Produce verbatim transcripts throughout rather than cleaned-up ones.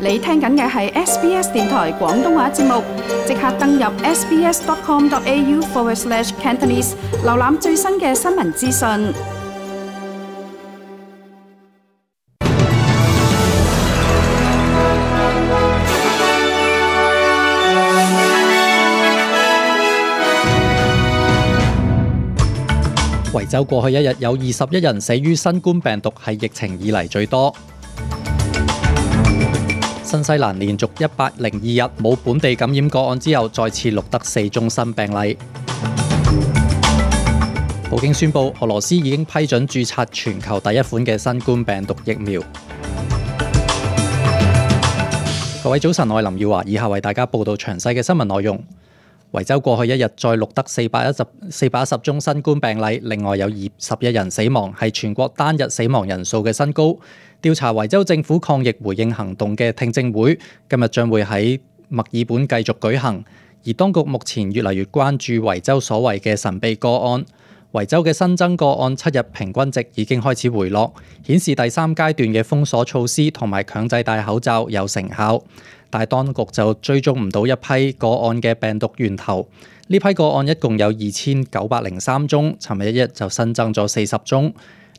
你聽緊嘅係 S B S 電台廣東話節目，即刻登入 sbs.com.au forward slash Cantonese， 瀏覽最新嘅新聞資訊。維州過去一日有二十一人死於新冠病毒，係疫情以嚟最多。新西蘭連續一百零二日冇本地感染個案之後，再次錄得四宗新病例。普京宣布，俄羅斯已經批准註冊全球第一款嘅新冠病毒疫苗。各位早晨，我係林耀華，以下為大家報道詳細嘅新聞內容。維州過去一日再錄得四百一十四百一十宗新冠病例，另外有二十一人死亡，係全國單日死亡人數嘅新高。調查維州政府抗疫回應行動嘅聽證會今日將會喺墨爾本繼續舉行，而當局目前越嚟越關注維州所謂嘅神秘個案。維州嘅新增個案七日平均值已經開始回落，顯示第三階段嘅封鎖措施同埋強制戴口罩有成效。但係當局就追蹤唔到一批個案嘅病毒源頭。呢批個案一共有二千九百零三宗，尋日一日就新增咗四十宗。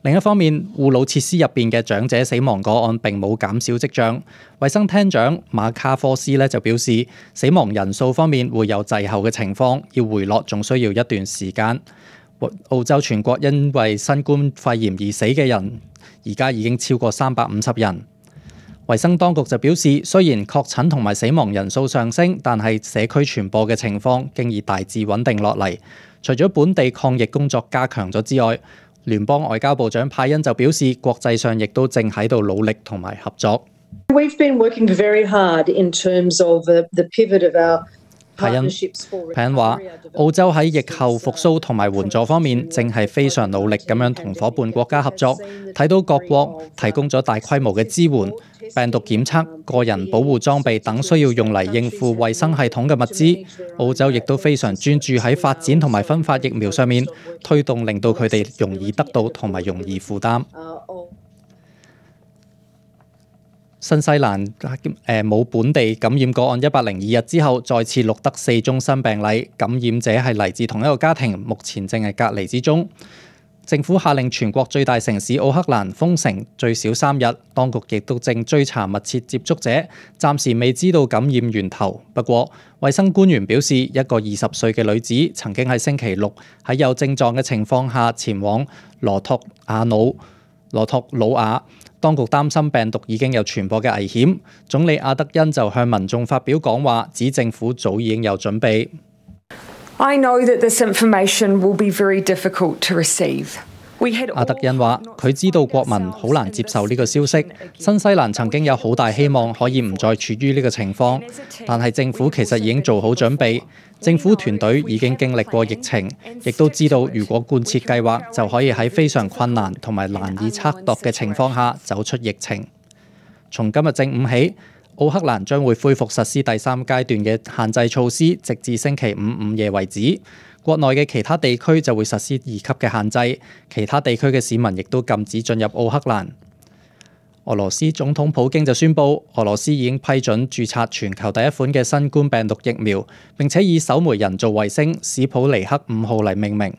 另一方面，護老設施入邊嘅長者死亡個案並冇減少跡象。衛生廳長馬卡科斯咧就表示，死亡人數方面會有滯後嘅情況，要回落仲需要一段時間。澳洲全國因為新冠肺炎而死嘅人，而家已經超過三百五十人。衛生當局就表示，雖然確診同埋死亡人數上升，但係社區傳播嘅情況經已大致穩定落嚟。除咗本地抗疫工作加強咗之外，聯邦外交部長派恩就表示，國際上亦都正喺度努力同埋合作。We've been working very hard in terms of the, the pivot of our派恩派恩話，澳洲喺疫後復甦同埋援助方面，正係非常努力咁樣同伙伴國家合作。睇到各國提供咗大規模嘅支援、病毒檢測、個人保護裝備等需要用嚟應付衛生系統嘅物資。澳洲亦都非常專注喺發展同埋分發疫苗上面，推動令到佢哋容易得到同埋容易負擔。新西蘭誒冇本地感染個案一百零二日之後，再次錄得四宗新病例，感染者係嚟自同一個家庭，目前正係隔離之中。政府下令全國最大城市奧克蘭封城最少三日，當局亦都正追查密切接觸者，暫時未知道感染源頭。不過，衛生官員表示，一個二十歲嘅女子曾經喺星期六喺有症狀嘅情況下前往羅托亞努羅托魯亞。當局擔心病毒已經有傳播嘅危險，總理阿德恩就向民眾發表講話，指政府早已經有準備。I know that this information will be very difficult to receive. 阿德恩話：佢知道國民好難接受呢個消息。新西蘭曾經有好大希望可以唔再處於呢個情況，但係政府其實已經做好準備。政府團隊已經經歷過疫情，亦都知道如果貫徹計劃，就可以喺非常困難同埋難以測度嘅情況下走出疫情。從今日正午起，奧克蘭將會恢復實施第三階段嘅限制措施，直至星期五午夜為止。國內嘅其他地區就會實施二級嘅限制，其他地區嘅市民亦都禁止進入奧克蘭。俄羅斯總統普京就宣布，俄羅斯已經批准註冊全球第一款嘅新冠病毒疫苗，並且以首枚人造衛星史普尼克五號嚟命名。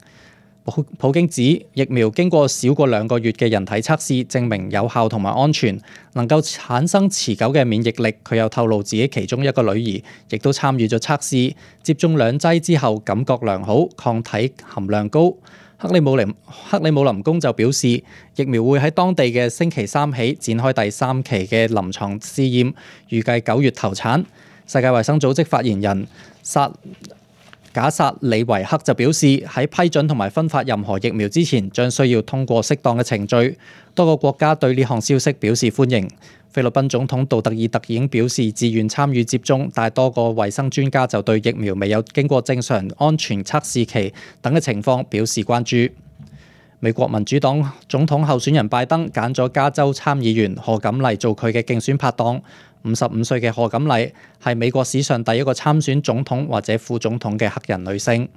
普京指疫苗經過少過兩個月嘅人體測試，證明有效同埋安全，能夠產生持久嘅免疫力。佢又透露自己其中一個女兒亦都參與咗測試，接種兩劑之後感覺良好，抗體含量高。克里姆林克里姆林宮就表示，疫苗會喺當地嘅星期三起展開第三期嘅臨床試驗，預計九月投產。世界衛生組織發言人薩賈薩里維克就表示，喺批准同埋分發任何疫苗之前，將需要通過適當嘅程序。多個國家對呢項消息表示歡迎。菲律賓總統杜特爾特已經表示自願參與接種，但係多個衛生專家就對疫苗未有經過正常安全測試期等嘅情況表示關注。美國民主黨總統候選人拜登揀咗加州參議員賀錦麗做佢嘅競選拍檔。五十五歲嘅賀錦麗係美國史上第一個參選總統或者副總統嘅黑人女性。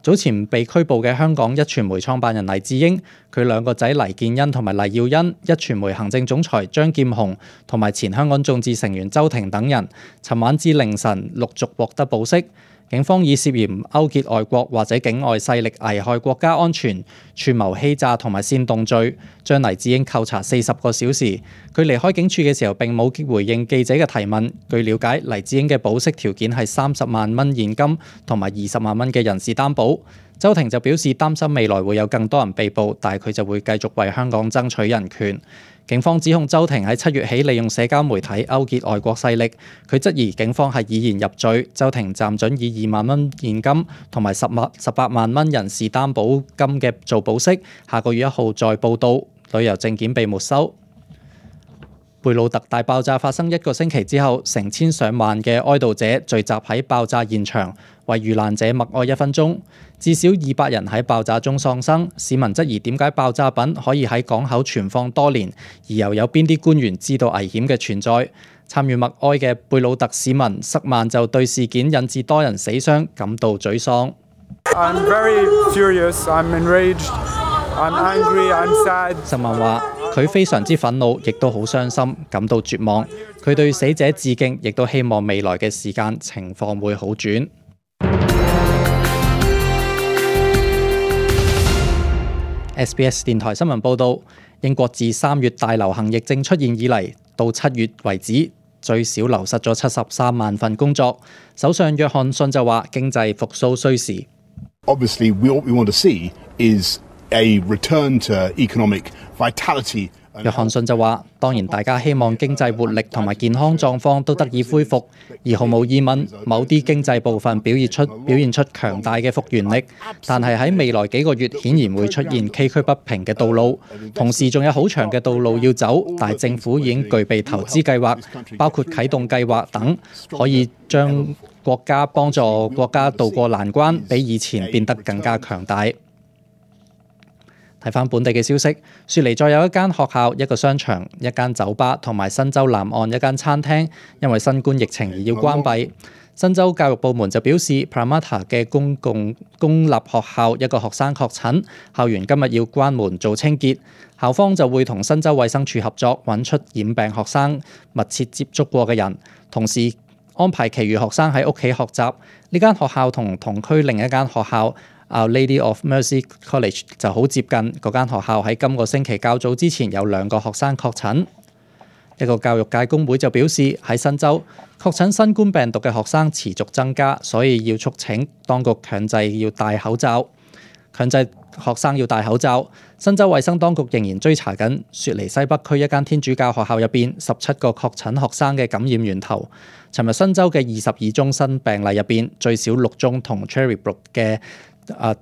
早前被拘捕嘅香港壹傳媒創辦人黎智英，佢兩個仔黎建恩同埋黎耀恩，壹傳媒行政總裁張劍虹同埋前香港眾志成員周庭等人，尋晚至凌晨陸續獲得保釋。警方以涉嫌勾結外國或者境外勢力危害國家安全、串謀欺詐同埋煽動罪，將黎智英扣查四十個小時。佢離開警署嘅時候並冇回應記者嘅提問。據了解，黎智英嘅保釋條件係三十萬蚊現金同埋二十萬蚊嘅人事擔保。周庭就表示擔心未來會有更多人被捕，但係佢就會繼續為香港爭取人權。警方指控周庭喺七月起利用社交媒體勾結外國勢力，佢質疑警方係以言入罪。周庭暫准以二萬蚊現金同埋十萬十八萬蚊人事擔保金嘅做保釋，下個月一號再報到。旅遊證件被沒收。貝魯特大爆炸發生一個星期之後，成千上萬嘅哀悼者聚集喺爆炸現場，為遇難者默哀一分鐘。至少二百人喺爆炸中喪生。市民質疑點解爆炸品可以喺港口存放多年，而又有邊啲官員知道危險嘅存在？參與默哀嘅貝魯特市民塞曼就對事件引致多人死傷感到沮喪。I'm very furious, I'm enraged, I'm angry, I'm sad. 塞曼話：佢非常之憤怒，亦都好傷心，感到絕望。佢對死者致敬，亦都希望未來嘅時間情況會好轉。S B S 電台新聞報導，英國自三月大流行疫症出現以嚟，到七月為止，最少流失咗七十三萬份工作。首相約翰遜就話：經濟復甦需時。Obviously, what we want to see is a return to economic vitality. 約翰遜就話：當然大家希望經濟活力同埋健康狀況都得以恢復，而毫無疑問，某啲經濟部分表現出表現出強大嘅復原力，但係喺未來幾個月顯然會出現崎嶇不平嘅道路，同時仲有好長嘅道路要走，但係政府已經具備投資計劃，包括啟動計劃等，可以將國家幫助國家渡過難關，比以前變得更加強大。睇返本地嘅消息，雪梨再有一間學校、一個商場、一間酒吧同埋新州南岸一間餐廳，因為新冠疫情而要關閉。新州教育部門就表示 ，Parramatta 嘅公共公立學校一個學生確診，校園今日要關門做清潔。校方就會同新州衛生署合作，揾出染病學生密切接觸過嘅人，同時安排其餘學生喺屋企學習。呢間學校同同區另一間學校Our Lady of Mercy College 就好接近，嗰間學校喺今個星期較早之前有兩個學生確診。一個教育界工會就表示，喺新州確診新冠病毒嘅學生持續增加，所以要促請當局強制要戴口罩，強制學生要戴口罩。新州衛生當局仍然追查緊雪梨西北區一間天主教學校入邊十七個確診學生嘅感染源頭。尋日新州嘅二十二宗新病例入邊，最少六宗同 Cherrybrook 嘅啊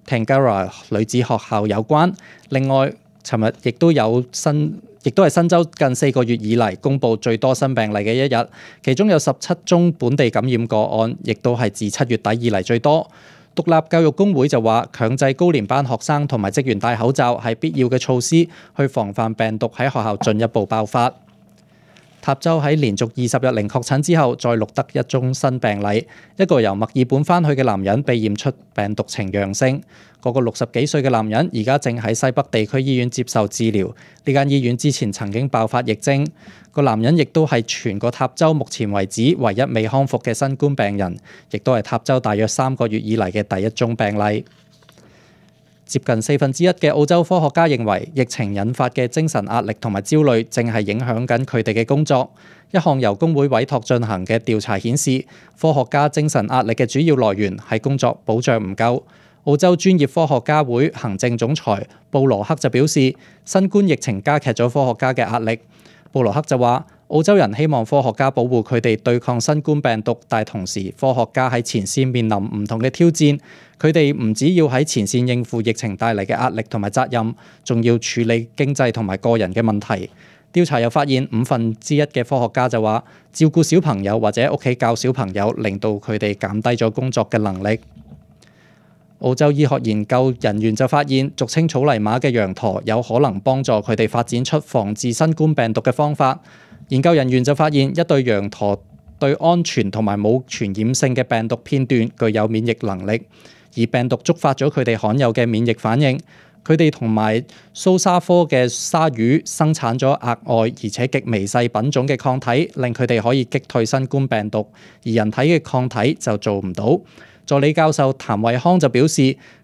Tangara 女子學校有關。另外，尋日亦都有新，亦都係新州近四個月以嚟公布最多新病例嘅一日，其中有十七宗本地感染個案，亦都係自七月底以嚟最多。獨立教育工會就話，強制高年班學生同埋職員戴口罩係必要嘅措施，去防範病毒喺學校進一步爆發。塔州喺連續二十日零確診之後，再錄得一宗新病例，一個由墨爾本返去嘅男人被驗出病毒呈陽性。嗰個六十幾歲嘅男人而家正喺西北地區醫院接受治療。呢間醫院之前曾經爆發疫症。個男人亦都係全個塔州目前為止唯一未康復嘅新冠病人，亦都係塔州大約三個月以嚟嘅第一宗病例。接近四分之一嘅澳洲科學家認為，疫情引發嘅精神壓力同埋焦慮正係影響緊佢哋嘅工作。一項由工會委託進行嘅調查顯示，科學家精神壓力嘅主要來源係工作保障唔夠。澳洲專業科學家會行政總裁布羅克就表示，新冠疫情加劇咗科學家嘅壓力。布羅克就話，澳洲人希望科學家保護佢哋對抗新冠病毒，但同時科學家喺前線面臨唔同嘅挑戰，佢哋唔只要喺前線應付疫情帶嚟嘅壓力同埋責任，仲要處理經濟同埋個人嘅問題。調查又發現，五分之一嘅科學家就話，照顧小朋友或者屋企教小朋友，令到佢哋減低咗工作嘅能力。澳洲醫學研究人員就發現，俗稱草泥馬嘅羊駝有可能幫助佢哋發展出防治新冠病毒嘅方法。研究人員就發現，一對羊駝對安全同埋冇傳染性嘅病毒片段具有免疫能力。而病毒觸發咗佢哋罕有嘅免疫反應。佢哋同埋蘇沙科嘅鯊魚生產咗額外而且極微細品種嘅抗體，令佢哋可以擊退新冠病毒，而人體嘅抗體就做唔到。助理教授譚惠康就表示，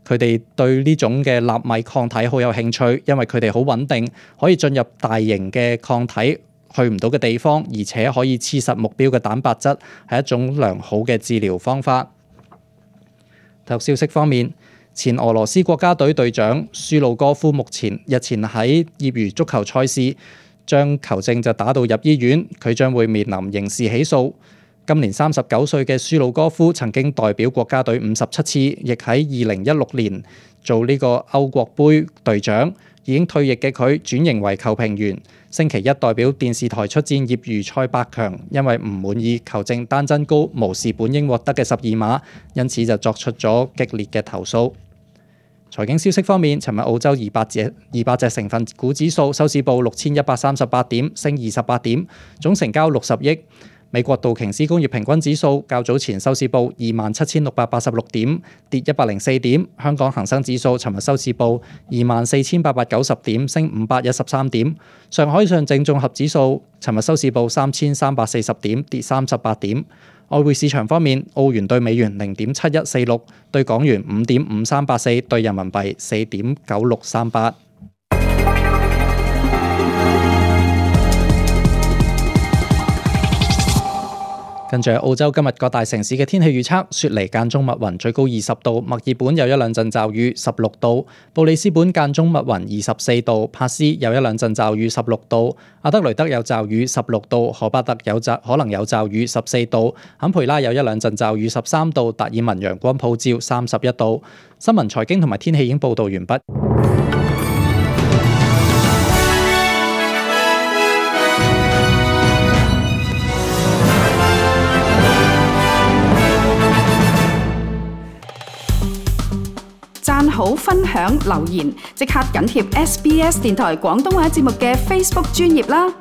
佢哋對呢種嘅納米抗體好有興趣，因為佢哋好穩定，可以進入大型嘅抗體去唔到嘅地方，而且可以黐實目標嘅蛋白質，係一種良好嘅治療方法。體育消息方面，前俄羅斯國家隊隊長舒魯戈夫目前日前喺業餘足球賽事將球證就打到入醫院，佢將會面臨刑事起訴。今年三十九歲嘅舒魯戈夫曾經代表國家隊五十七次，亦喺二零一六年做呢個歐國杯隊長。已經退役嘅佢轉型為球評員，星期一代表電視台出戰業餘賽八強，因為唔滿意球證單真高無視本應獲得嘅十二碼，因此就作出咗激烈嘅投訴。財經消息方面，尋日澳洲二百隻二百隻成分股指數收市報六千一百三十八點，升二十八點，總成交六十億。美國道瓊斯工業平均指數較早前收市報二萬七千六百八十六點，跌一百零四點。香港恒生指數尋日收市報二萬四千八百九十點，升五百一十三點。上海上證綜合指數尋日收市報三千三百四十點，跌三十八點。外匯市場方面，澳元對美元零點七一四六，對港元五點五三八四，對人民幣四點九六三八。跟住澳洲今日各大城市嘅天氣預測：雪梨間中密雲，最高二十度；墨爾本有一兩陣驟雨，十六度；布里斯本間中密雲，二十四度；帕斯有一兩陣驟雨，十六度；阿德雷德有驟雨，十六度；荷巴特有驟可能有驟雨，十四度；坎培拉有一兩陣驟雨，十三度；達爾文陽光普照，三十一度。新聞、財經同埋天氣已經報導完畢。讚好、分享、留言，即刻緊貼 S B S 電台廣東話節目嘅 Facebook 專頁啦！